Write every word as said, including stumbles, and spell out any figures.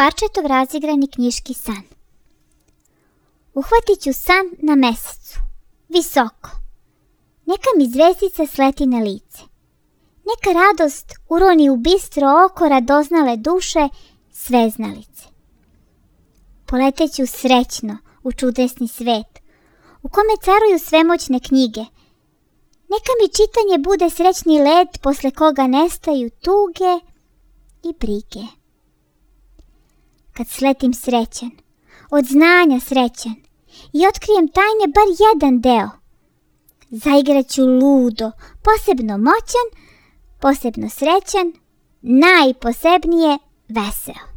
Parčetov razigrani knjiški san. Uhvatit ću san na mesecu, visoko. Neka mi zvezdica sleti na lice. Neka radost uroni u bistro oko radoznale duše sveznalice. Poleteću srećno u čudesni svet, u kome caruju svemoćne knjige. Neka mi čitanje bude srećni let posle koga nestaju tuge i brige. Kad sletim srećan, od znanja srećan i otkrijem tajne bar jedan deo, zaigraću ludo, posebno moćan, posebno srećan, najposebnije veseo.